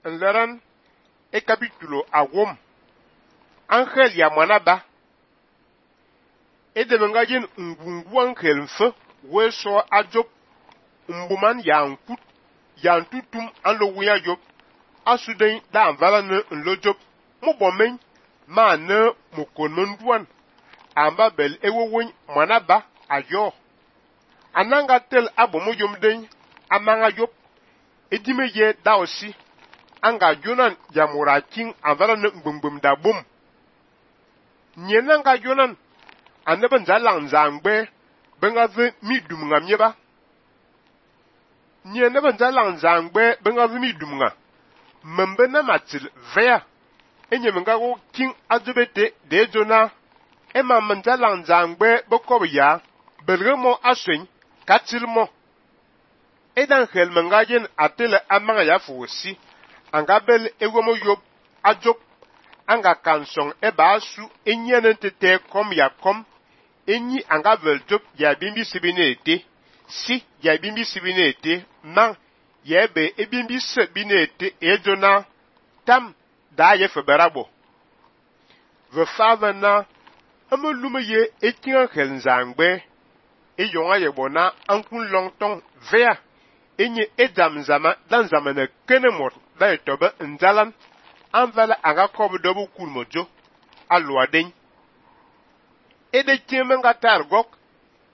nleran e capítulo awom angel ya mwanaba edebenga yin ngungu angel mfe weso ajob mbuman ya nkut ya ntutum anlo wiya job asuden da anvala ne nlojob mubomen ma ne mukon duan amba bel ewowon mwanaba ayo ananga tel abomo yomden amanga job edime ye daosi anga jonan jamura king anvala ne ngbum da bum nyenanga jonan aneben zalang zangbe benga ve midum ngamyeba nyeneben zalang zangbe benga ve midum nga membe na matil vea enyemenga go king azubete de jona ema menzalang zangbe bokobiya belgemo aswen katilmo edan helmenga yen atele amanga ya fusi anga bel ewomo yob ajob anga kansong eba asu enyene tete kom ya kom enyi anga veljob ya bimbi sibinete si ya bimbi sibinete man yebe ebimbi sebinete ejona tam da ye feberabo ve favana amolume ye ekinga helnzangbe eyonga yebona ankun longtong vea enye edam zama dan zamana kenemor da etobe nzalan anvala aga kobodobu kulmojo alwaden ede timenga targok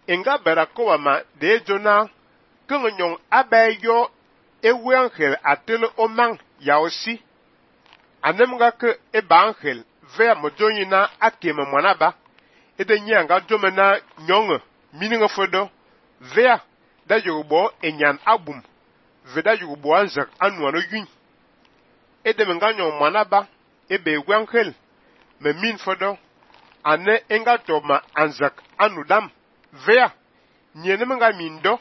enga berakowa ma de jona kunyon abayo ewe angel atele omang yaosi anemga ke eba angel vea mojonyina akeme mwanaba ede nyanga jomena nyonge mininga fodo vea da yugo enyan abum veda yugo anzak anwano yun ede menga nyon mwanaba ebe ewe angel me min fodo ane enga toma anzak anudam vea nyenemenga mindo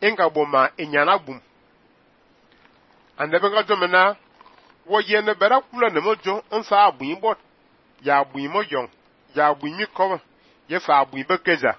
enga boma enyana bum ande benga jomena wo yene bera kula ne mojo nfa abuin bot ya abuin mojon ya abuin mi ko ye fa abuin bekeza